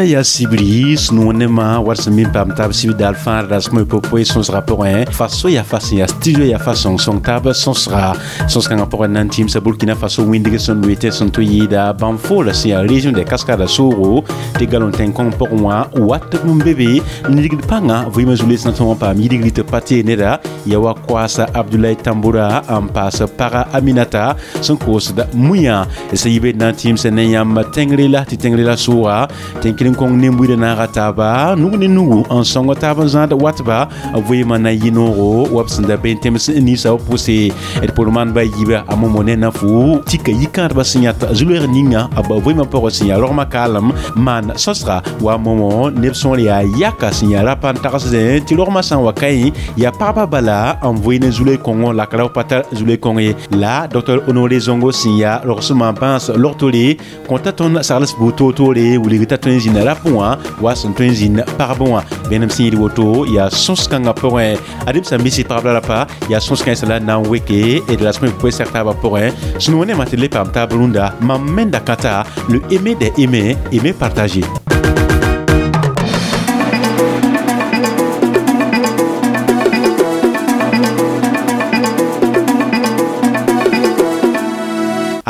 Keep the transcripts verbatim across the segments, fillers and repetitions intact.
Rũndã yaa sibri sũ-noog-nembã wat sẽn be n paam taab sibr daal fãa rasem pʋgẽ sõsgã pʋgẽ Faso yaa fa sẽn yaa studio yaa fa sõng-sõng taab sõsga sõs-kãngã pʋgẽ na n tĩmsa Burkina Faso wĩndg sẽn loe tɩ sẽn tʋ yɩɩda Banfora sẽn yaa région de Cascades soogo tɩ galon tẽn-kõng pʋgẽ wã wat n be be n ligd pãnga vɩɩmã zu-loees na tõog n paam yidgri tɩ pa tee neda ya wa koaasa Abdoulaye Tamboura n paas paga Aminata sẽn koosda mũyã sẽn yɩ be na n tĩmsa ne yãmb tẽngre la tɩ tẽngre la sʋʋga tẽn-kɩrem kõng nen-buidã naaga taaba nug ne nugu n sõng taab n zãad watba vɩɩmã na yɩ noogo wa b sẽn da be n tẽms ninsã b pʋse d pʋr maan ba yiiba a momo ne na fu tika yikãadbã sẽn yãt zu-loeeg ninga b vɩɩmã pʋgẽ sẽn yaa rogmã kaalem maan sõsga wa momo neb sõor yaa yaka sẽn yaa rapa n tagsdẽ tɩ rogmã sã n wa ka yẽ yaa pagba bala n vɩ ne zu-loeeg kõngo la ka ra pa tar zu-loeeg kõng ye la docteur Honoré Zongo sẽn yaa rogsmã bãas logtore kõta tõnd sagls buud toor-toore wilg t'a tõe n zĩnda rapẽ wã wa sẽn tõe n zĩnd pagb wã vẽenem sẽn yɩɩd woto yaa sõs-kãngã pʋgẽ adem sã n misi pagb la rapa yaa sõs-kãensã la na n weke d rasem poe sɛg taabã pʋgẽ sũ-noog nemã tɩ le paam taab rũndã mam menda kãta le aimer des aimés, aimer partager.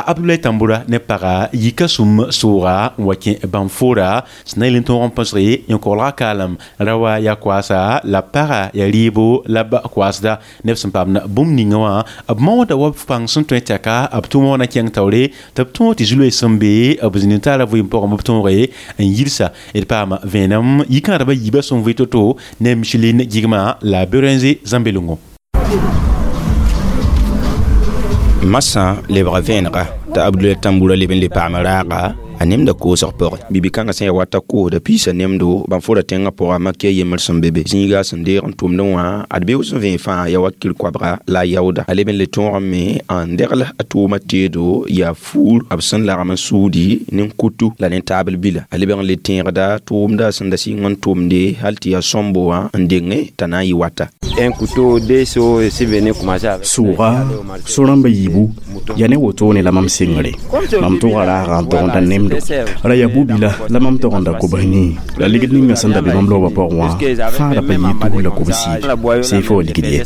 Abdoulaye Tamboura ne paga yika sum sʋʋga n wa kẽ Banfora sẽn na yel n tõog n põsge yẽ-koglga kaalem ra wa yaa koaasa la paga yaa rɩɩbo la b koasda neb sẽn paamd bũmb ninga wã b maooda wa b pãng sẽn tõe tɛka b tʋʋmã wã na kẽng taoore tɩ b tõog tɩ zu-loees sẽn be b zĩnd-n-taara vɩɩm pʋgẽ b tõoge n yilsa d paama vẽenem yikãadbã yiibã sẽn vɩ to-to ne Micheline Gigma la Berenze Zambelongo. Masã lebga vẽenega t'a Abdoulaye Tamboura leb n le paam raaga a nemda koosg pʋgẽ bibi-kãngã sẽn yaa wata koosda piisã nemdo Banfora tẽngã pʋga makiya yembr sẽn be be zĩiga sẽn deeg n tʋmdẽ wã ad beoog sẽn vẽe fãa yaa wa kir-koabga la a yaooda a leb n le tõog n me n degl a tʋʋmã teedo yaa fuur b sẽn lagm n suudi nin-kutu la nin-taabl bila a lebg n le tẽegda tʋʋmda sẽn da sɩng n tʋmde hal tɩ yaa sõmbo wã n denge t'a na n yɩ wata. Un couteau, deux seaux, je suis venu commencer avec. Sʋʋga so-rãmba yiibu yaa ne wotone la mam sɩngre mam tʋga raagã n togenda nemdo ra yaa bu-bila la mam togenda kobs nii la ligd ninga sẽn da be mam loobã pʋgẽ wã fãa ra pa yɩ tus la kobs siib seefa wa ligd ye.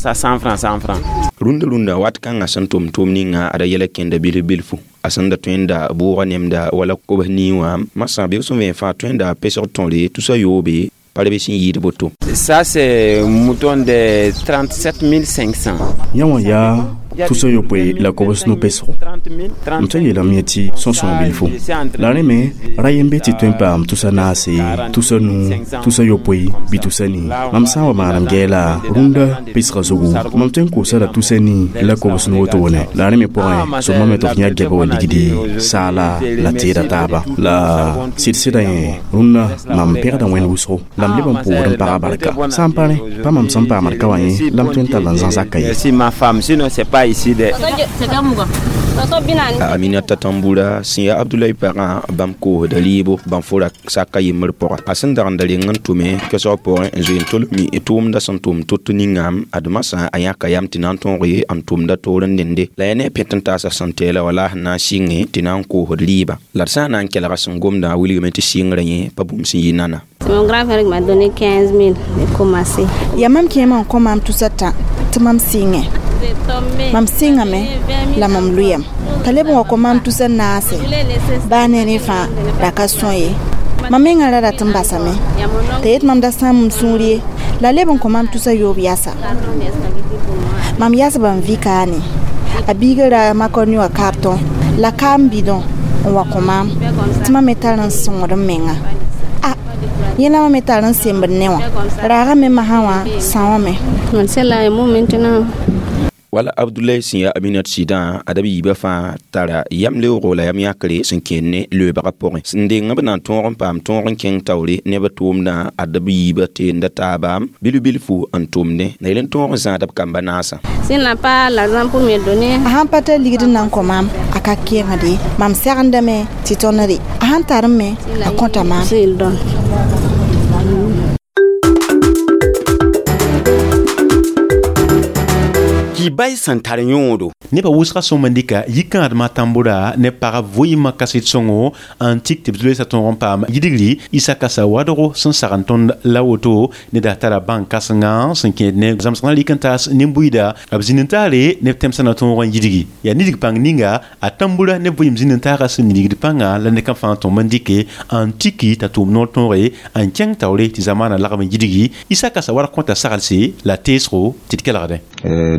Rũndã rũndã wat kãngã sẽn tʋm tʋʋm ninga ada yɛla kẽnda bilf bilfu a sẽn da tõe n da bʋʋga nemda wala kobs nii wã masã beoog sẽn vẽe fãa tõe n da pesg tõre tusa yoobe pa be sẽn yɩɩd boto. Ça c'est mouton de trente-sept mille cinq cents. Yã wã yaa tusa yopoe la kobs no-pesgo m tõe n yeelame ye tɩ sõsõog bilfu la rẽ me ra yem be tɩ tõe n paam tusa naase tusa nuu tusa yopoe bɩ tusa nii mam sã n wa maanam gɛɛla rũndã pesga zugu mam tõe n koosa la tusa nii la kobs nu wotone la rẽ me pʋgẽ sõma me tɩ f yã gɛba wa ligde saala la teeda taaba la sɩd-sɩda yẽ rũndã mam pẽgda wẽnd wʋsgo la m leb n pʋʋd n paga barka sã n pa rẽ pa mam sẽn paamd ka wã yẽ la m tõe n tall n zãs aka ye. Si ma femme, sinon c'est pas ici de. Aminata Tamboura sẽn yaa Abdoulaye pagã bãmb koosda rɩɩbo Banfora saka yembr pʋga a sẽn dag n da reng n tʋme koɛsg pʋgẽ n zoe n tol mi tʋʋmda sẽn tʋm to-to ninga ad masã a yãka yam tɩ na n tõog n tʋmda toor n dende la yaa ne a pẽt n taasa sẽn tɛɛla wala sẽn na n sɩnge tɩ na n koosd rɩɩbã la d sã n na n kelga sẽn gomdã wilgame tɩ sɩngrã yẽ pa bũmb sẽn yɩ nana. Mon grand frère m'a donné quinze mille et commencé. Ya mam kẽema n kõ maam tusa tã tɩ mam sɩngẽ mam sɩngame la mam lʋyam t'a leb n wa kõ maam tusa naase baa ne rẽ fãa ra ka sõa ye mam mengã ra rat n basame t'a yet mam da sãam m sũur ye la leb n kõ maam tusa yoob yasa mam yasba n vɩ kaane a biiga ra makoni wã kartõ la kaam bidõ n wa kõ maam tɩ mam me tar n sõngd m menga a yẽ la mam me tar n sembd ne wã raagame masã wã sãoame. Wala Abdoulaye sẽn yaa Aminat sɩdã ad b yiibã fãa tara yam leoogo la yam yãkre sẽn kẽer ne loeebgã pʋgẽ sẽn deng b na n tõog n paam tõog n kẽng taoore neb tʋʋmdã ad b yiibã teenda taaba bilf-bilfu n tʋmdẽ la yel n tõog n zãad b kamba naasã. S'il n'a pas l'argent pour me donner. A sãn pa tar ligd n na n kõ maam a ka kẽengde mam segendame tɩ tõnd a sãn tar n me a kõta maam. S'il donne. Ki bay sẽn tar yõodo Nebã wʋsgã sõm n dɩka yikãadmã Tambora ne pag vɩɩmã kaset sõngo n tik tɩ b loeesa tõog n paam yidgri Issa Kassa Ouédraogo sẽn sagn tõnd la woto ned a tara bãng kãsenga sẽn kẽed ne zãmsgã rɩk n taas nin-buiida b zĩnd n taare neb tẽmsã na tõog n yidgi yaa nidg pãng ninga a Tambora ne vɩɩm zĩnd n taagã sẽn nidgd pãnga la ned kam fãa tõm n dɩke n tiki t'a tʋʋm noor tõoge n kẽng taoore tɩ zamaanã lagm n yidgi Issa Kassa Ouédraogo kõta saglse la teesgo tɩ d kelgdẽ.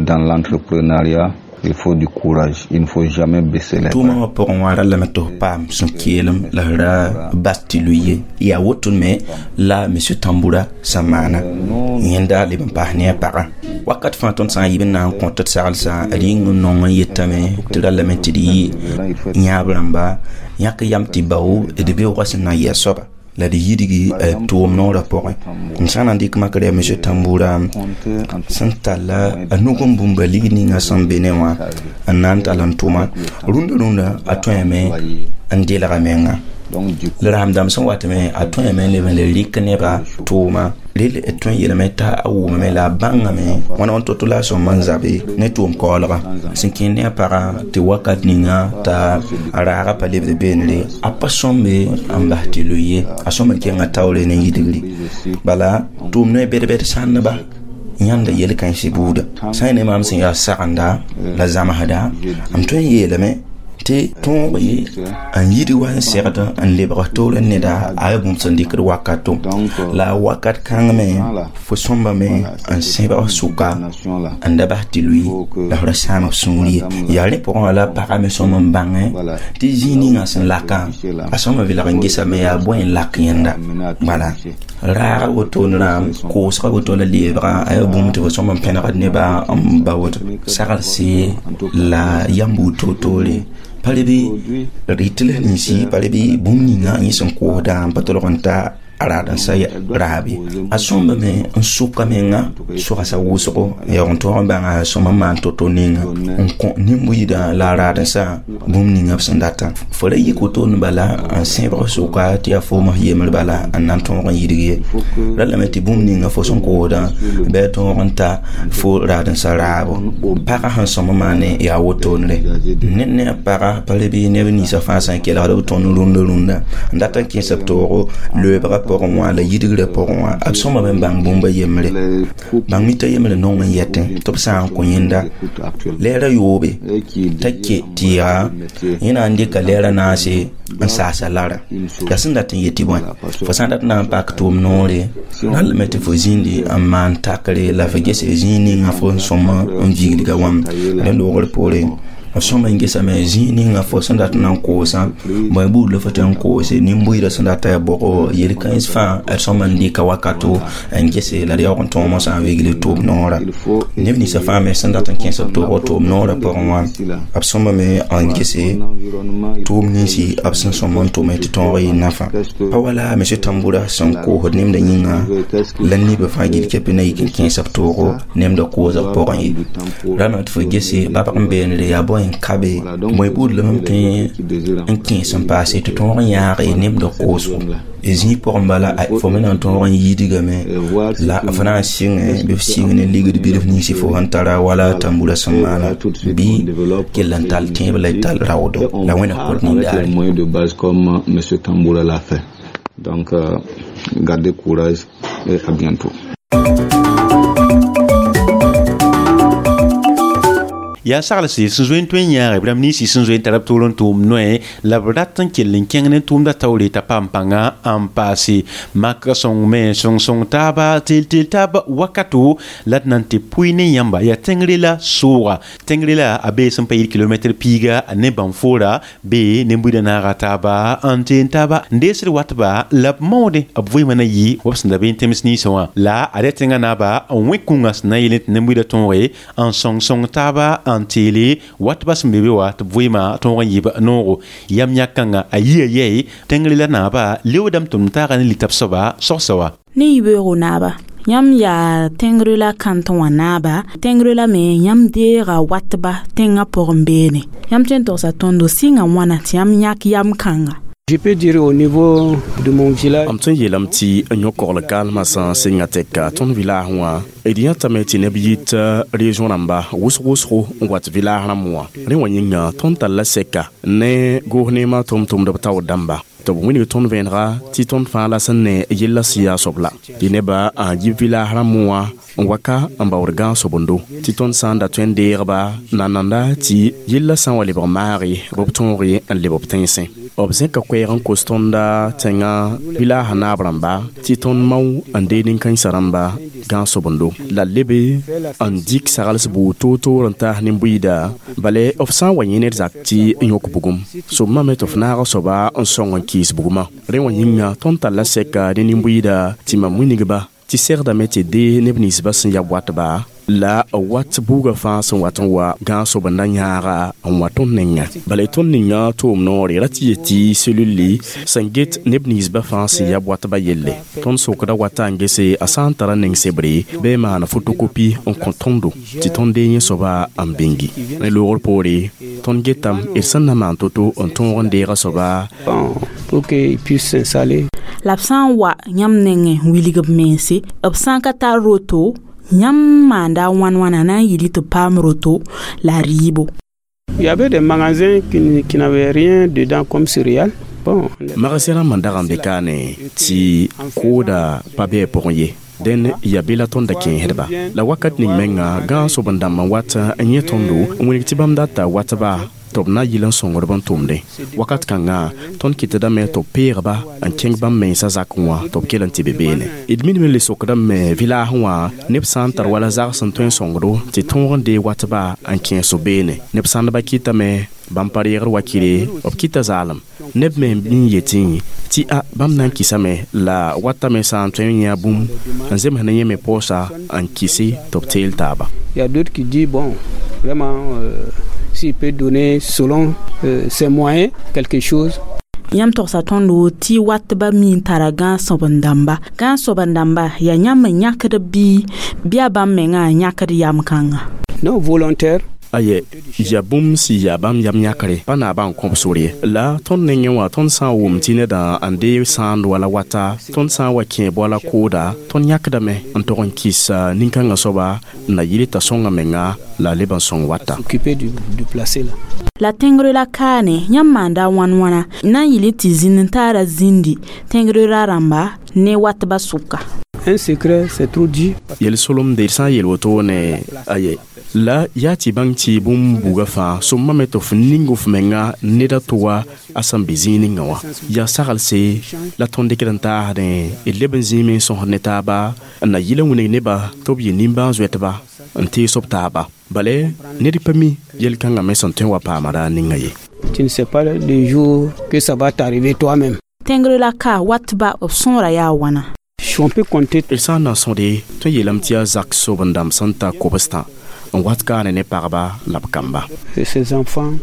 Dans l'entrepreneuriat, il faut du courage, il ne faut jamais baisser les bras. Tʋʋmã wã pʋgẽ wã rallame tɩ f paam sũ-keelem la f ra bas tɩ lʋɩ ye yaa woto me la monsieur Tamboura sẽn maana yẽnda leb n paas ne a pagã wakat fãa tõnd sã n yib n na n kõ tɩ d saglsã d yĩng n nong n yetame tɩ rallame tɩ d yɩ yãab rãmba yãk yam tɩ bao d beoogã sẽn na n yɩ a soaba la d yidgi tʋʋm noorã pʋgẽ m sã n na n dɩk makr yaa monsieur Tamboura sẽn talla a nug n bũmba lig ninga sẽn be ne wã n na n tall n tʋma rũndã rũndã a tõeme n delga menga la rasem-dãmb sẽn watame a tõeme n leb n le rɩk nebã tʋʋma rel d tõe n yeelame t'a a wʋmame la a bãngame wãna wãn to-to la a sõm n zabe ne tʋʋm kaoolga sẽn kẽnd ne a pagã tɩ wakat ninga t'a a raagã pa lebd beenre a pa sõmbe n bas tɩ loe ye a sõm n kẽnga taoore ne yidgri bala tʋʋm noe bɛd-bɛd sãndba yãnda yel-kãense buuda sã n ne maam sẽn yaa sagenda la zãmsda m tõe n yeelame tɩ tõog ye n yid wa n segd n lebg toor neda a yaa bũmb sẽn dɩkd wakato la wakat kãng me fo sõmbame n sẽbg sʋka n da bas tɩ lʋɩ la f ra sãam f sũur ye yaa rẽ pʋgẽ wã la pagã me sõm n bãngẽ tɩ zĩig ninga sẽn lakã a sõm n velg n gesame yaa bõe n lak yẽnda bala raaga woto rãam koosga woto la leebga a yaa bũmb tɩ fo sõm n pẽnegd nebã n ba woto saglse la yam buud toor-toore pa leb rɩt la ninsi pa leb bũmb ninga yẽ sẽn koosda n pa tolg n ta a raad n sa raabe a sõmbame n sʋka menga sogsa wʋsgo yaoog n tõog n bãnga sõm n maan to-to ninga n kõ nin-buiidã la a raad n sa bũmb ninga b sẽn data fo ra yik wotone bala n sẽbg sʋka tɩ yaa foom f yembr bala n na n tõog n yidg ye ra lame tɩ bũmb ninga fo sẽn koosdã bɩ a tõog n ta fo raad n sa raabo pagã sẽn sõm n maane yaa wotonre ned ne a pagã pa leb neb ninsã fãa sã n kelgd b tõnd rũndã rũndã n dat n kẽes b toogo loeebgã pʋgẽ wã la yidgrã pʋgẽ wã b sõmame n bãng bũmba yembre bãng mita yembre nong n yɛtẽ tɩ b sã n kõ yẽnda lɛɛrã yoobe t'a ke tɩ yaa yẽ na n dɩka lɛɛrã naase n saasa lara yaa sẽn dat n yetɩ bõe fo sã n dat na n pak tʋʋm noore rallame tɩ fo zĩndi n maan takre la fo gese zĩig ninga fo n sõm n viglga wãm rẽ loogr poore b sõm n gesame zĩig ninga fo sẽn dat n na n koosã bõe buud la fo tɩ n koose nin-buiidã sẽn dat yaa bʋgo yel-kãens fãa d sõm n dɩka wakato n gese la d yaoog n tõog mosã n vigl tʋʋm noorã neb ninsã fãa me sẽn dat n kẽes b toogɔ tʋʋm noorã pʋgẽ wã b sõmbame n gese tʋʋm ninsi b sẽn sõm n tʋme tɩ tõog yɩ nafã pa wala monsieur Tamboura sẽn koosd nemda yĩnga la nibã fãa gil kɛpɩ na yik n kẽes b toogo nemda koosg pʋgẽ ye rame tɩ fo gese babg n beenre yaa bõe n kabe bõe buud la mam tõe n kẽes n paase tɩ tõog n yãage nemda koosgo zĩig pʋgẽ bala fo me na n tõog n yidgame la f na n sɩngẽ bɩ f sɩng ne ligd bilf ninsi fo sẽn tara wala Tamboura sẽn maana bɩ kell n tall tẽeb la y tall raoodo la wẽna kot nindaare. Moyens de base comme monsieur Tamboura l'a fait. Donc, euh, gardez courage et à bientôt. Yaa saglse sẽn zoe n tõe n yãage b rãmb ninsi sẽn zoe n tara b toor n tʋʋm noe la b rat n kell n kẽng ne tʋʋmda taoore t'a paam pãnga n paase makã sõng me sõng-sõng taaba teel-teel taaba wakato la d na n tɩ pʋɩ ne yãmba yaa tẽngre la sooga tẽngre la a bee sẽn pa yɩl kilomɛtr piiga ne bãnfoora bee ne-buidã naaga taaba n teen taaba n deesd watba la b maoodẽ b vɩɩmã na yɩ wa b sẽn da bee n tẽms ninsã wã la ad yaa tẽngã naaba n wẽ kũngã sẽn na n yeel tɩ ne-buidã tõoge n sõng-sõng taaba n teele watba sẽn be be wa tɩ b vɩɩmã tõog n yɩb noogo yam yãk-kãngã a yia yɛɛ tẽngre la naaba leoodame tɩ m taaga ne litab soaba sogsa wa ne yibeoogo naaba yãmb yaa tẽngre la kãnt wã naaba tẽngre la me yãmb deega watba tẽngã pʋgẽ beene yãmb tõe n togsa tõndo sɩnga wãna tɩ yãmb yãk yam kãnga. Je peux dire au niveau de mon village. M tõe n yeelame tɩ yõ-kogl kaalmã sã n sɩnga tɛka tõnd village wã d yãtame tɩ neb yit région rãmba wʋsg wʋsgo n wat village rãmb wã rẽ wã yĩnga tõnd talla sɛka ne goos-neemã tʋm-tʋmdb taoor dãmba tɩ b wilg tõnd vẽenega tɩ tõnd fãa la sẽn ne yella sẽn yaa soab la tɩ nebã n yib village rãmb wã n wa ka n baood gãag-sobendo tɩ tõnd sã n da tõe n deegba nananda tɩ yella sã n wa lebg maage bɩ b tõoge n leb b tẽnsẽ b zẽka koɛɛg n kos tõnda tẽngã village naab rãmba tɩ tõnd mao n dee nin-kãensã rãmba gãag-sobendo la lebe n dɩk sagls buud toor-toor n taas nin-buiida bale f sã n wa yẽ ned zak tɩ n yõk bugum soabmã me tɩ f naag soaba n sõng n kɩɩs bugmã rẽ wã yĩnga tõnd talla sɛka ne nin-buiida tɩ mam wilgba tɩ segdame tɩ dee neb ninsbã sẽn ya watba la wat buugã fãa sẽn wat n wa gãag-sobenda yãaga n wa tõnd ninga bala tõnd ninga tʋʋm noore ra tɩ yetɩ selulli sẽn get neb ninsbã fãa sẽn ya watba yelle tõnd sokda wata n gese a sã n tara ning sebre bɩ maan fotokopi n kõ tõndo tɩ tõnd dee yẽ soaba n bĩngi ne loogr poore tõnd getame d sẽn na maan to-to n tõog n deega soaba pour qu'il puisse s'installer. La b sã n wa yãmb nengẽ wilg b mense b sã n ka tar roto yãmb maanda wãn wãna na n yɩl tɩ paam roto la rɩɩbo. Il y avait des magasins qui, qui n'avaient rien dedans comme céréales. Bon, magasin rãmbã n dag n be kaane tɩ kooda pa bɩ a pʋgẽ ye dẽn ya be la tõnd da kẽesdba la wakat ning menga gãag-sob n dãmb n wat n yẽ tõndo n wilg tɩ bãmb data watba tɩ b na yɩl n sõngdb n tʋmdẽ wakat kãngã tõnd kɩtdame tɩ b peegba n kẽng bãmb mensã zakẽ wã tɩ b kell n tɩ be beene d minime le sokdame village wã neb sã n tar wala zags n tõe n sõngdo tɩ tõog n dee watba n kẽes b beene neb sãndbã kɩtame bãmb pa reegd wakɩre b kɩta zaalem neb me n yetẽ tɩ a bãmb na n kɩsame la watame sã n tõe n yã bũmb n zems ne yẽ me poosa n kɩse tɩ b teel taaba. Il y a d'autres qui disent bon, vraiment, euh, s'il peut donner selon euh, ses moyens quelque chose. Yãmb togsa tõndo tɩ watba mi n tara gãag-sõben dãmba gãag-soben dãmba yaa yãmb n yãkd bɩ bɩ a bãmb mengã n yãkd yam kãnga. Non, volontaire. Aye ya bũmb sɩ yaa bãmb yam yãkre pa naabã n kõb sor ye la tõnd nengẽ wã tõnd sã n wʋm tɩ nedã n deeg sãand wala wata tõnd sã n wa kẽ boala kooda tõnd yãkdame n tog n kɩs nin-kãngã soaba n na yɩl t'a sõnga menga la leb n sõng wata. S'occuper du, du placer là. La tẽngr la kaane yãmb maanda wãn wãna na n yɩl tɩ zĩnd n taara zĩndi tẽngr ra rãmba ne watba sʋka. Un secret, c'est trop dit. Yel-solem d sã n yeel woto ne aye la yaa tɩ bãng tɩ bũmb buugã fãa sõmma me tɩ f ning f menga ned a to wa a sẽn be zĩig ninga wã yaa saglse la tõnd dɩkd n taasdẽ d leb n zĩime n sõsd ne taaba n na yɩl n wilg nebã tɩ b yɩ nimbãan-zoɛtba n tees b taaba bale ned pa mi yel-kãngã me sẽn tõe n wa paama raar ninga ye. Tu ne sais pas le jour que ça va t'arriver toi-même. Tẽngr la ka watba b sõora yaa wãna. On peut compter. D sã n na n sõde tõe n yeelame tɩ yaa zak sob n dãmb sẽn ta kobstã n wat kaane ne pagba la b kamba. Et ses enfants.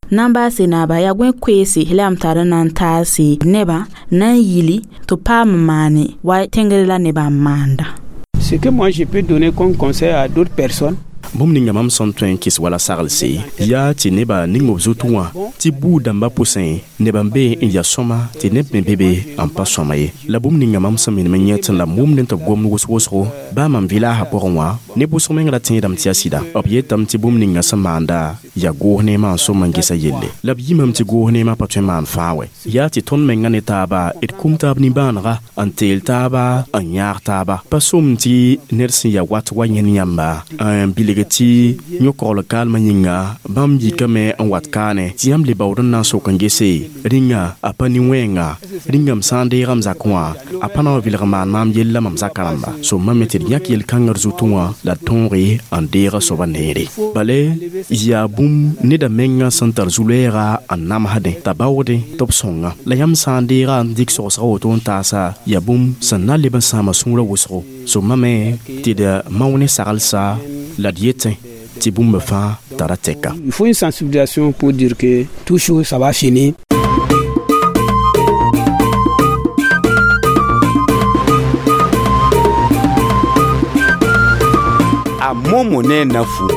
Na n baase naaba yaa gõe koeese la yam tar n na n taase nebã na n yili tɩ paam n maane wa tẽngr la nebã n maanda. Ce que moi je peux donner comme conseil à d'autres personnes. Bũmb ninga mam sẽn tõe n kɩs wala saglse yaa tɩ nebã ning b zutẽ wã tɩ buud dãmbã pʋsẽ nebã n be n ya sõma tɩ neb me be be n pa sõma ye la bũmb ninga mam sẽn minim n yẽ tɩ la m wʋmdẽ tɩ b gomd wʋsg-wʋsgo baa mam village pʋgẽ wã ne bʋsg meng ra tẽedame tɩ yaa sɩda b yetame tɩ bũmb ninga sẽn maanda yaa goos neemã n sõm n gesa yelle la b yimame tɩ goos neemã pa tõe n maan fãa wɛ yaa tɩ tõnd menga ne taaba d kum taab nimbãanega n teel taaba n yãag taaba pa sõm tɩ ned sẽn ya wat wa yẽnd yãmba n bilg tɩ yõ-kogl kaalmã yĩnga bãmb yikame n wat kaane tɩ yãmb le baood n na n sok n gese rĩnga a pa nin-wẽenga rĩnga m sã n deega m zakẽ wã a pa na wa vɩlg maan maam yella mam zaka rãmba sõmma me tɩ d yãk yel-kãngã d zutẽ wã la d tõoge n deega soaba neere bale yaa bũmb neda menga sẽn tar zu-lɛɛga n namsdẽ t'a baoodẽ tɩ b sõnga la yãmb sã n deega n dɩk sogsga woto n taasa yaa bũmb sẽn na leb n sãama sũurã wʋsgo sõmma me tɩ d mao ne saglsa la d yetẽ tɩ bũmb fãa tara tɛka. Il faut une sensibilisation pour dire que tout chose ça va finir. A momo ne nafu.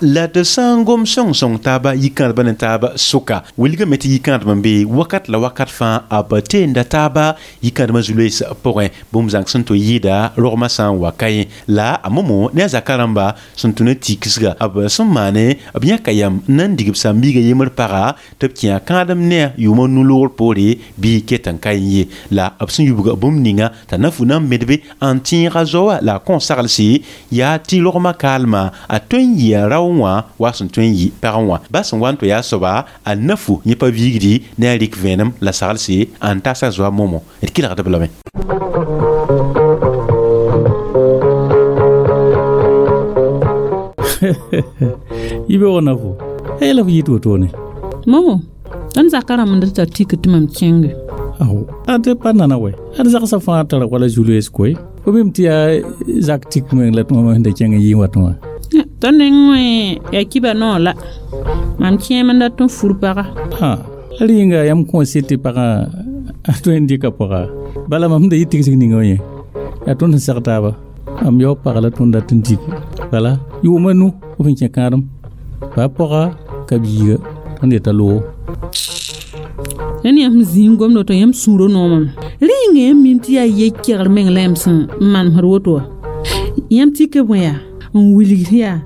La tɩ sã n gom sõng-sõng taaba yikãadbã ne taaba sʋka wilgame tɩ yikãadb n be wakat la wakat fãa a b teenda taaba yikãadmã zu-loees pʋgẽ bũmb zãng sẽn tɩ yɩɩda rogmã sã n wa ka yẽ la a momo ne a zaka rãmba sẽn tũ ne tiksga b sẽn maane b yãka yam n na n dig b sãn-biiga yembr paga tɩ b kẽ a kãadem ne a yʋʋmã nu-loogr poore bɩ ket n ka ye la b sẽn yubga bũmb ninga t'a na fu na n medbe n tẽega zoa la a kõn saglse yaa tɩ rogmã kaalmã a tõe n yɩ a rao wã wa sẽn tõe n yɩ pagẽ wã ba sẽn wa n tɩ yaa soaba a na fu yẽ pa viigdi ne a rɩk vẽenem la saglse n tasa zoa momo d kelgd b lame. Yibe wona fu e la fu yit wotone momo tõnd zaka rãmb n tar tik tɩ mam kẽnge aw ad pa nana we ad zagsã fãa tara wala zu-loees koe fo mim tɩ yaa zak tik meng la tõma sẽn da kẽng n yɩ wa tõa tõnd neng wẽ yaa kiba noor la mam kẽem n dat n fur paga a rɩɩnga yãmb kõ sɩd tɩ pagã a tõe n dɩka pʋga bala mam sẽn da yɩ tigsg ninga wã yẽ yaa tõnd sẽn seg taaba mam yao pag la tõnd dat n dig bala yʋʋma nu f n kẽ kãadem pa pɔga ka biiga tõnd yeta loogo rẽnd yãmb zĩig gomd woto yãmb sũurã noomame rɩɩnga yãmb mim tɩ yaa ye-kegr meng la yãmb sẽn manesd woto wã yãmb tika bõe yaa n wilgd yaa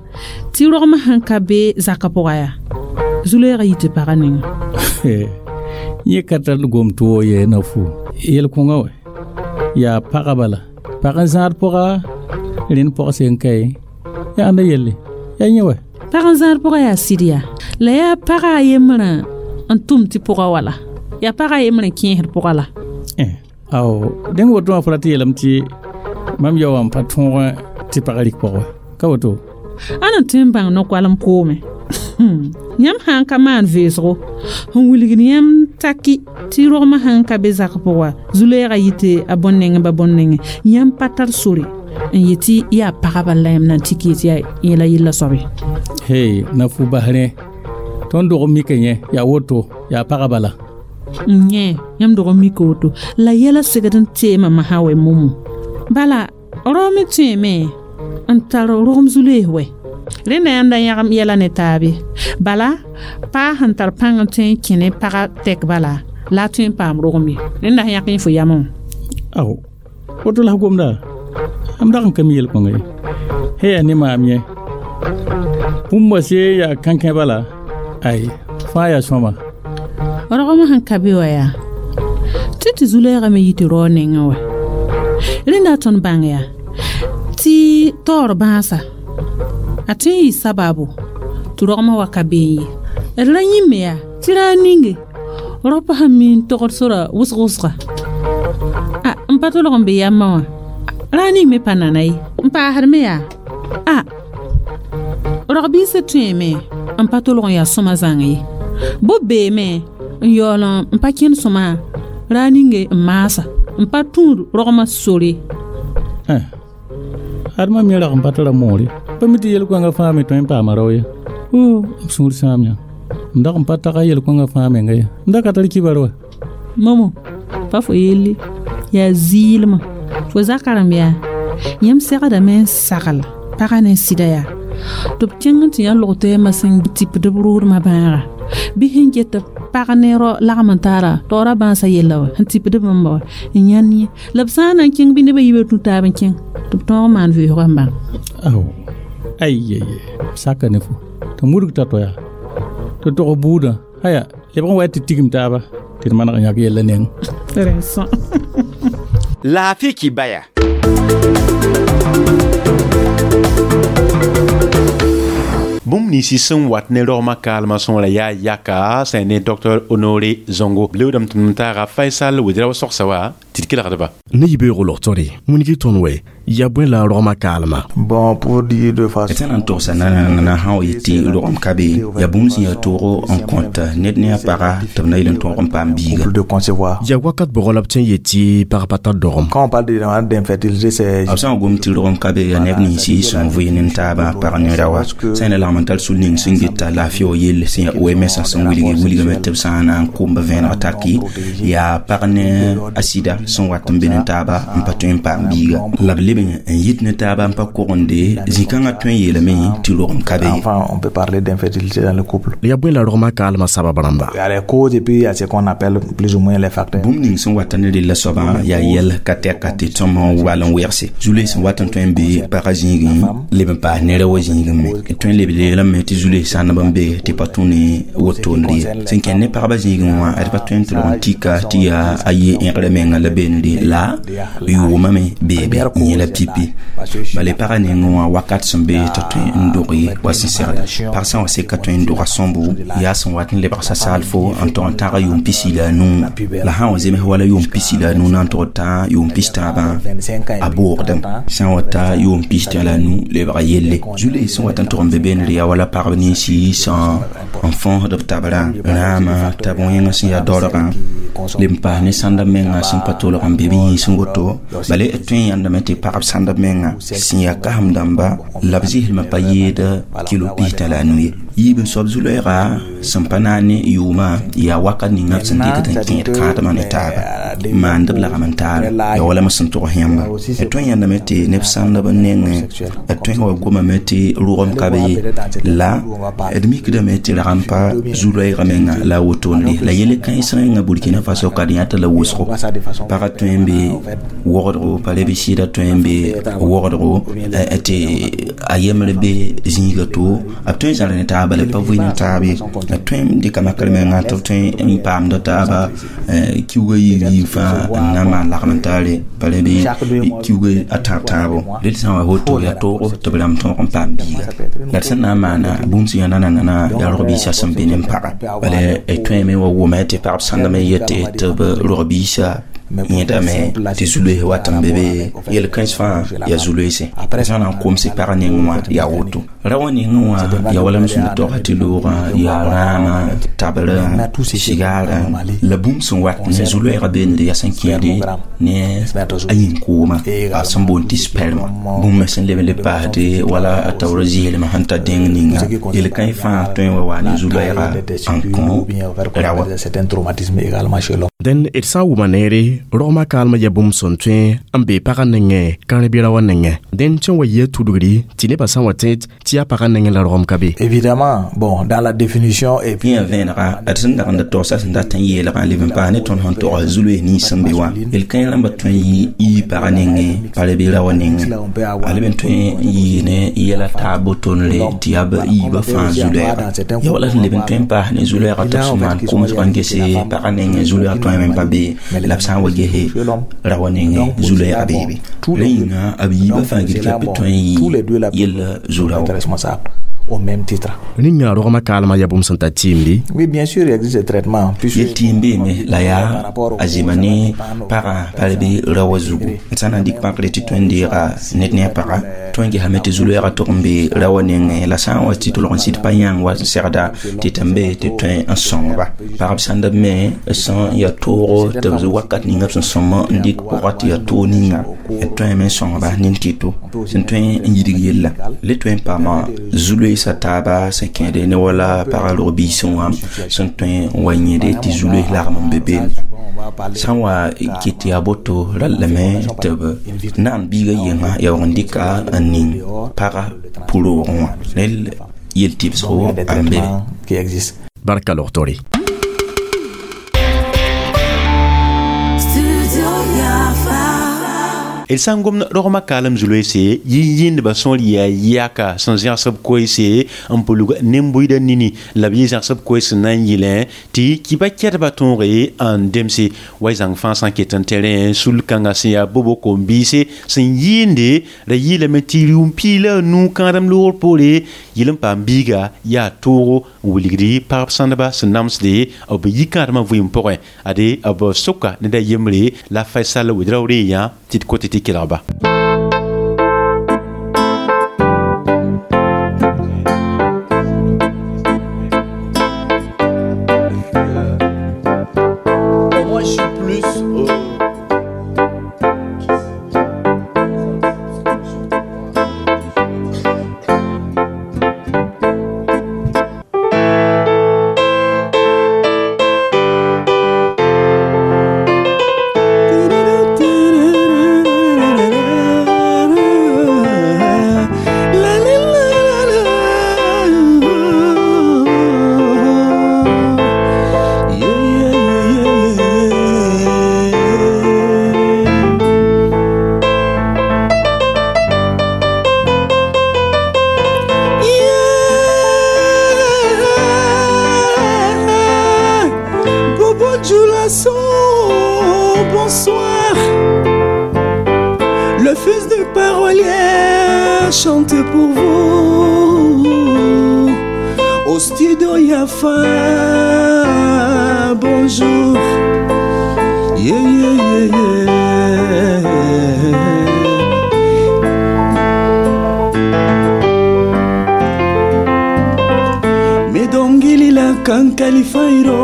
tɩ rogmã sẽn ka be zakã pʋga yaa zu-loeegã yɩ tɩ pagã ninga yẽ ka tar gom tʋʋg ye na fu yel-kõngã wɛ yaa pagã bala pag n zãad pʋga rẽnd pɔg sẽn ka ye yaa ãnda yelle yaa yẽ wɛ pag n zãad pʋga yaa sɩd yaa la yaa pagã a yembrã n tʋm tɩ pʋga wala yaa pagã a yembrã kẽesd pʋga la ao dẽng woto wã fo ra tɩ yeelame tɩ mam yao wã n pa tõog tɩ pagã rɩk pɔgɔ ka woto a na tõe n bãng no-koalem koome yãmb sã n ka maan veesgo n wilgd yãmb taki tɩ rogmã sãn ka be zak pʋga zu-loeegã yɩ tɩ a bõn-nengẽ ba bõn-nengẽ yãmb pa tar sore n yetɩ yaa pagã bala la yãmb na n tik yetɩ yaa yẽla yella soabe hey na fu bas rẽ tõnd dog mika yẽ yaa woto yaa pagã bala n yẽ yãmb dog n mika woto la yɛla segd n teemã masã wɛ momo bala rao me tõeme n tar rogem zu-loees wɛ rẽnda yãmb da yãgem yɛla ne taabe bala paa sẽn tar pãng n tõe n kẽ ne pagã tɛk bala la a tõe n paam rogem ye rẽnda sẽn yãk yẽ fo yamẽ wã ao woto la f gomda am dag n ka mi yel-kõnga ye he yaa ne maam yẽ bũmb wã see yaa kãnkẽ bala ay fãa yaa sõma rogmã sẽn ka be wa yaa tɩ tɩ zu-loeegã me yɩ tɩ rao nengẽ wɛ rẽnda tõnd bãng yaa tɩ taoor bãasa a tõe n yɩ sabaabo tɩ rogmã wa ka been ye d ra yĩmme yaa tɩ raa ninge raopã sẽn mi n togd sora wʋsg wʋsga a n pa tolg n be yambã wã raa ning me pa nana ye n paasd me yaa a rog-biisã tõeeme n pa tolg n yaa sõma zãng ye bʋ beeme n yaool n pa kẽnd sõma raa ninge n maasa n pa tũud rogmã sore ad mam yẽ rag n pa tara moore pa mi tɩ yel-kõngã fãa me tõe n paama rao ye o b sũur sãam yã m dag n pa taga yel-kõngã fãa menga ye m da ka tar kibar wa momo pa fo yelle yaa zɩɩlmã fo zaka rãmb yaa yãmb segdame n sagl pagã ne sɩda yaa tɩ b kẽng n tɩ yã log tɛɛmã sẽn tipd b roodmã bãaga bɩ sẽn get pag ne rao lagm n taara taoora bãasã yella wa sẽn tipd bãmba wa n yãnd yẽ la b sã n na n kẽng bɩ nebã yiibã tũ taab n kẽng tɩ b tõog n maan veoosgã n bãng ao ay ay saka ne fo tɩ mudg ta to yaa tɩ tog buudã aya lebg n wa tɩ tigim taaba tɩ d maneg n yãk yella neng rẽn-sõ Laafɩ kibaya. Bũmb ninsi sẽn wat ne rogmã kaalmã sõora yaa yaka sẽn ne Docteur Honoré Zongo leoodame tɩ m taaga Faisal Ouedraogo sogsa wa tɩ d kelgdba ne yibeoogo logtore wĩnigi tõnd wɛ yaa bõe la rogmã kaalmã Bon, pour dire de façon d sã na n togsa nanana sã wa yetɩ rogem ka be yaa bũmb sẽn yaa toogo n kõt ned ne a paga tɩ b na yel n tõog n paam biiga de concevoir. Yaa wakat bʋgɔ la b tõe n yetɩ pag pa tar dogem Quand on parle de d'infertilité, c'est b sã n gom tɩ rogem ka be yaa neb ninsi sẽn vɩ ne taabã pag ne rawa sã n lagm n tar sul ning sẽn geta laafɩ wa yell sẽn yaa O M S sẽn wilge wilgame tɩ b sã n na n komba vẽeneg taki yaa pag ne a sɩda sẽn wat n be ne taaba n pa tõe n paam biiga la b Leb n yit ne taaba n pa kogende zĩ-kãngã tõe n yeelame tɩ rogem ka be. Enfin, on peut parler d'infidélité dans le couple. Ya bõe la rogmã kaalmã sabab rãmba? Il y a les causes et puis il y a ce qu'on appelle plus ou moins les facteurs. Bũmb ning sẽn wata ne rella soabã yaa yɛl ka tɛka tɩ tõmb n wall n wegse. Zu-loees sẽn wat n tõe n be pagã zĩigẽ leb n paas ne ra wã zĩigẽ me. Tõe n leb yeelame tɩ zu-loees sãndb n be tɩ pa tũ ne wotone ye. Sẽn kẽnd ne pagba zĩigẽ wã ad pa tõe n tɩ lg n tika tɩ yaa a yɩ ẽgrã menga la beende la yʋʋmame beebe yẽ la pipi. Bala pagã nengẽ wã wakat sẽn be t'a tõe n doge wa sẽn segda. Pag sã n wa seka tõe n doga sõmbo yaa sẽn wat n lebg sasaalfo n tog n tãga yʋʋm pisi la a nuu la sã n wa zems wala yʋʋm pisi la a nuu na n tog tã yʋʋm pis tãabã a boogdem sã n wa ta yʋʋm pis tã la a nuu lebga yelle. Zu-loees sẽn wat n tog n be beene yaa wala pagb ninsi sẽn n fõosd b tabrã rãama tab wẽngã sẽn yaa daoorgã leb n paas ne sãndb menga sẽn pa tolg n be b yĩns n woto. Bala d tõe n yãndame tɩ pagb sãndb menga sẽn yaa kasem dãmba la b zɩslmã pa yeed kilo pis-tã la a nu ye. Yiib n soab zu-loɛɛga sẽn pa naag ne yʋʋmã yaa wakat ninga b sẽn dɩkd n kẽed kãadmã ne taaba maand b lagm n taara yaa wala m sẽn tog yãmba. D tõe n yãndame tɩ neb sãndb n nengẽ d tõe n wa gomame tɩ rogem ka be ye la d mikdame tɩ rag n pa zu-loɛɛga menga la a wotone la yele kãens rẽnga Burkina Faso ka d yãta la wʋsgo. Pagã tõe n be wogdgo pa le bɩ sɩda tõe n be wogdgo tɩ a yembre be zĩiga to b tõe n zãr ne taaba la pa vɩ ne taab ye. B tõe n dɩka makr menga tɩ b tõe n paamda taaba kiuga yiib yiib fãa n na n maan lagm n taare pa le bɩ kiuga a tãab tãabo. Rel sã n wa woto yaa toogo tɩ b rãmb tõog n paam biiga. La d sẽn na n maana bũmb sẽn yaa nanana yaa rog-biisã sẽn be ne n paga. Bala d tõeme wa wʋma tɩ pagb sãndame yetɩ tɩ b rog-biisã yẽdame tɩ zu-loees wat n be be yel-kãens fãa yaa zu-loeese. Sã na n komse pag nengẽ wã yaa woto. Ra wã nengẽ wã yaa wala m sẽn togsa tɩ loogã yaa rãama tabrã sigaarã la bũmb sẽn wat ne zu-loɛɛgã beende yaa sẽn kẽede ne a yĩn-koomã a sẽn boond tɩ sperma. Bũmb me sẽn leb n le paasde wala a taoora zɩɩlmã sẽn ta dẽng ninga yel-kãens fãa tõe n wa wa ne zu-loɛɛga n kõ ra wã. Dẽn d sã n wʋma neere rogmã kaalmã yaa bũmb sẽn tõe n be pagã nengẽ kãr-bɩra wã nengẽ. Dẽn tõe n wa yɩ a tudgri tɩ nebã sã n wa tẽed tɩ yaa pagã nengẽ la rogem ka be. Évidemment, bon, dans la définition et puis yã vẽenega d sẽn dag n da togsa sẽn dat n yeelgã leb n paas ne tõnd sẽn tog zu-loees nins sẽn be wã yel-kãens rãmbã tõe n yɩ yii pagã nengẽ pa le bɩ ra wã nengẽ. A leb n tõe n yɩ ne yɛla taab botonre tɩ yaa b yiibã fãa zu-loɛɛga. Yaa wala sẽn leb n tõe n paas ne zu-loɛɛga tɩ b sẽn maan komsg n gese pagã nengẽ zu-loɛɛga tõe me pa be la b sã n wa gese ra wã nengẽ zu-loɛɛga beebe. Rẽ yĩnga b yiibã fãa gil tɩ b tõe n yɩ yella zu-rao. Au même titre. Rĩnga rogmã kaalmã yaa bũmb sẽn tar tɩɩmde. Oui, bien sûr, il existe des traitements. Yel tɩɩm beeme la yaa a zɩma ne pagã pa le bɩ ra wã zugu. D sã n na n dɩk pãkre tɩ tõe n deega ned ne a paga tõe n gesame tɩ zu-loɛɛgã tog n be ra wã nengẽ la sã n wa tɩ tolg n sɩd pa yãng wa n segda tɩ tɩ n be tɩ tõe n sõngba. Pagb sãndb me sẽn yaa toogo tɩ b wakat ninga b sẽn sõm n dɩk pʋga tɩ yaa toog ninga d tõeme n sõngba nin-tɩto sẽn tõe n yidg yella. Le tõe n paama zu-loeesã taaba sẽn kẽede ne wala pagã rog-biisẽ wã sẽn tõe n wa yẽde tɩ zu-loees lagm n be beene. Sã n wa ket yaa boto rallame tɩ b naan biigã yenga yaa wag n dɩka n ning pagã pʋ-roogẽ wã rel yel-tɩbsgo n be. Barka logtore. D sã n gomd rogmã kaalem zu-loeese yĩn-yĩndbã sõor yaa yaka sẽn zẽgs b koeese n pʋlg nen-buiidã nini la b yɩ zãgs b koees sẽn na n yɩlẽ tɩ kɩba kɛdbã tõoge n demse wa y zãng fãa sã n ket n tẽrẽ sul-kãngã sẽn yaa bobo kom-biise sẽn yɩɩnde ra yɩɩlame tɩ rɩʋm piig la a nuu kãadem loogr poore yɩl n paam biiga yaa toogo n wilgdi pagb sãndba sẽn namsde b yi kãadmã vɩɩm pʋgẽ ade b soka ned a yembre la Faisal Ouedraogo yã tɩ d kote tɩ kelgba. Moi, je suis plus euh, chante pour vous au studio Yafa. Bonjour. Yeah, yeah, yeah, yeah. Medongili la kankalifairo.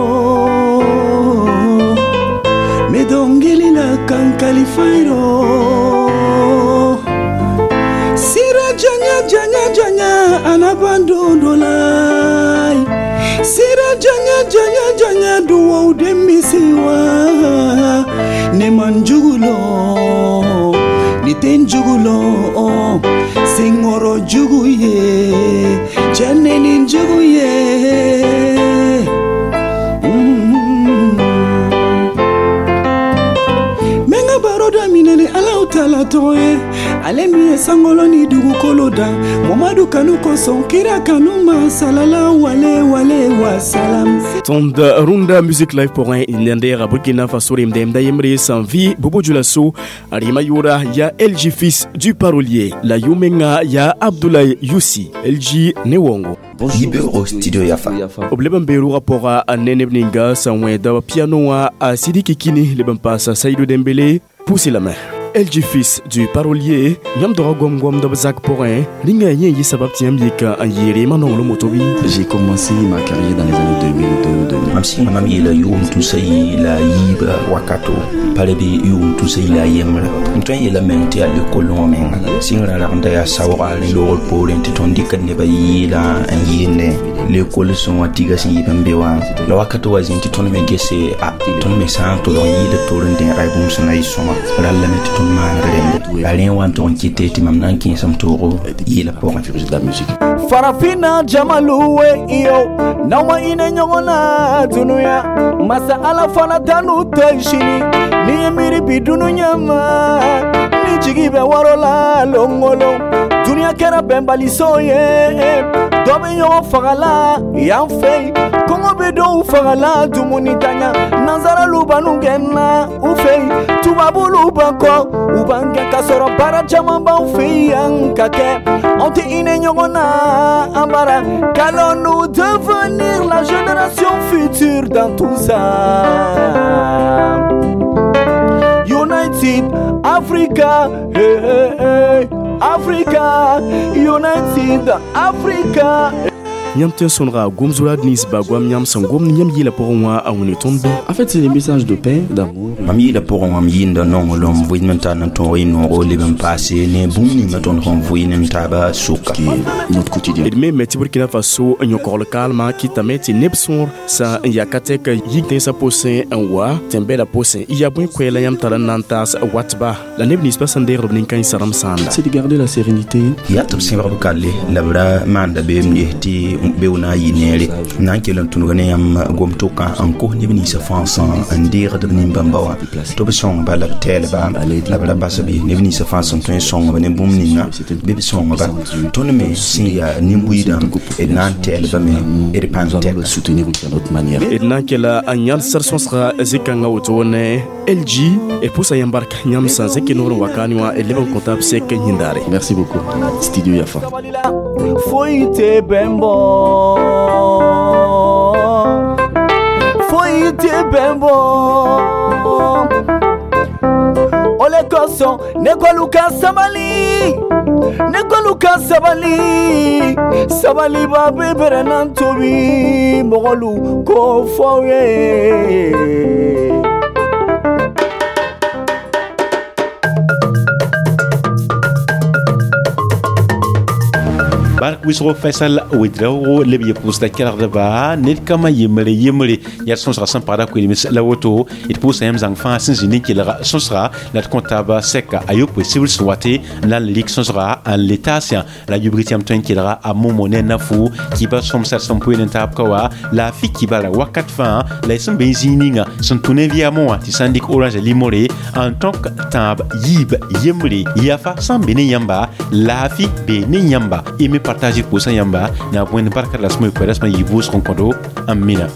Medongili la kankalifairo. Sira janya janya janya anabandondolai. Sira janya janya janya duwaw demisiwa. Ne manjugulo ni tenjugulo sengoro jugu ye jene ni jugu ye. Menga baroda minene ala utala toye ale mi ye sangolo ni dugukolo da Momadu kanu kosɔn kira kanu ma salala wale wale wa salam. Tõnd rũndã Music Live pʋgẽ ndeera Burkina Faso remdɛmda yembre sẽn vɩ Bobo Dioulasso a rɩma yʋʋra yaa L J fils du parolier la yʋ-menga yaa Abdoulaye Youssi L J ne wongo. Yibeoog studio Yafa. B leb n bee rʋgã pʋga ne neb ninga sẽn wẽeda piano wã a Sidiki Kini leb n paasa Saïdou Dembélé Poussez la main. L J fils du parolier yãmb doga gom-gomd b zak pʋgẽ rĩnga yẽ yɩ sabab tɩ yãmb yika n yeere ma-nonglem woto bɩ. J'ai commencé ma carrière dans les années deux mille deux, deux mille. Mam sɩnga mam yeela yʋʋm tusa yi la yiiba wakato pa le bɩ yʋʋm tusa yi la a yembrã m tõe n yeela meng tɩ yaa lekol wã menga sɩngrã rag n da yaa saooga rẽ loogr poorẽ tɩ tõnd dɩkd nebã yɩɩla n yɩɩnde lekol sẽn wã tiga sẽn yɩ n be wã la wakato wa zĩnd tɩ tõnd me gese a tõnd me sã n tʋlg n yɩɩda toor n dẽega bũmb sẽn na yɩ sõma rall lame tɩ tõnd maand rẽnde la rẽ n wa n tʋg n kɩte tɩ mam na n kẽesem toogo yɩɩla pʋgẽ. Farafina jamalu we iyo n'aw ma hinɛ ɲɔgɔn na dunuya masa ala fana tanu tɛ sini ni ye miiri bi dunuya ma ni jigi bɛ wɔrɔ la longolo dunuya kɛra bɛnbaliso ye dɔ bɛ ɲɔgɔn fagala yan fɛ yen kɔngɔ bɛ dɔw fagala dumuni tanya nanzaralu b'an gɛnna u fɛ yen tubabulu b'an kɔ u b'an gɛn k'a sɔrɔ baara caman b'anw fɛ yan ka kɛ anw tɛ hinɛ ɲɔgɔn na an bara. Qu'allons-nous devenir la génération future dans tout ça? United Africa, hey, hey, hey. Africa, United Africa. Yãmb tõe n sõnega gom-zʋra nins ba goam yãmb sẽn gomd yãmb yɩɩla pʋgẽ wã a wĩne tõnd bɩ. En fait, c'est des messages de paix, d'amour. Mam yɩɩla pʋgẽ wã m yɩɩnda nonglem vɩɩm n tar n tõog y noogo leb n paase ne bũmb ninga tõnd sẽn vɩɩn n taaba sʋka. Notre quotidien. D me me tɩ Burkina Faso n yõkogl kaalmã kɩtame tɩ neb sõor sã n ya ka tɛk yik tẽnsã pʋsẽ n wa tẽn-bɛda pʋsẽ y yaa bõe koɛɛla yãmb tara n na n taas watba la neb ninsbã sẽn deegd b nin-kãensã rãmb sãanda. C'est de garder la sérénité. Yaa tɩ b sẽbg b kalle la b ra maanda beem ges tɩ be na n yɩ neere na n kell n tũnug ne yãmb gom-tʋkã n kos neb ninsã fãa sã n deegd b nin-bãmba wã tɩ b sõngba la b tɛɛlba la b ra bas b neb ninsã fãa sẽn tõe n sõngb ne bũmb ninga bɩ b sõngba tõnd me sẽn yaa nin-buiidã d na n tɛɛlba me d pãng tɛka. D na n kela n yãl sar sõsga zĩ-kãngã woto ne L J d pʋsa yãmb bark yãmb sã n zẽk noor n wa kaane wã d leb n kõta b sek yĩndaare. Merci beaucoup. Studio Yafa. Foyi tɛ bɛn bɔ foyi tɛ bɛn bɔ o le kosɔn ne k'olu ka sabali ne k'olu ka sabali sabaliba bɛ bɛrɛ tobi mɔgɔlu k'o fɔ aw ye. Bark wisgo Faisal Ouedraogo leb ye pʋʋsda kelgdba ned kama yembre yembre yaa sõsga sẽn pagda koelms la woto d pʋʋsa yãmb zãng fãa sẽn zĩ ne kelg sõsga la d kõ taaba sɛka a yopoe sibr sẽn wate n na n lik sõsga n le taasã la yubg tɩ yãmb tõe n kelga a momo ne nafu kiba sõmsar sẽn poe n taab ka wa la a fi kibara wakat fãa la y sẽn be n zĩig ninga sẽn tũ ne vɩamõ wã tɩ sã n dɩk orange limore n tõk tãab yiib yembre yafa sã n be ne yãmba laafi be ne yãmba y me partager pʋʋsã yãmba na bõe barka la sẽn moe koɛɛda sẽn yɩ vʋʋsg n kõdo n mina.